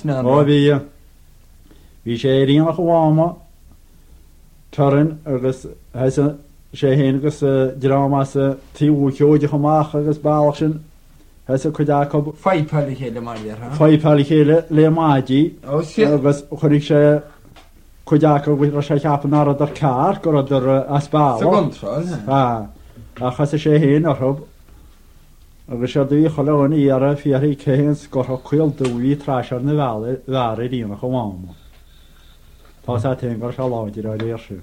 Ó bhí. Bhí sé ar aonach an Mháma Turin agus thosaigh sé féin agus dream as Taobh an Chéideach amach agus bealach sin thosaigh cuid acu Fuipeáil a chéile mar a déarfá. Fuipeáil a chéile le maidí agus chonaic sé cuid acu go raibh sé ag ceapadh nach rabhadar ceart, go rabhadar as bealach. Sa gcontráil. Ach thosaigh sé féin orthu. Agus séard a bhí chuile dhuine ag iarraidh fiafraí cé hé an scórthach caol dubh a bhí trais ar na bhfear ar aonach an Mháma. Tá's a't féin go raibh sé láidir dá réir sin.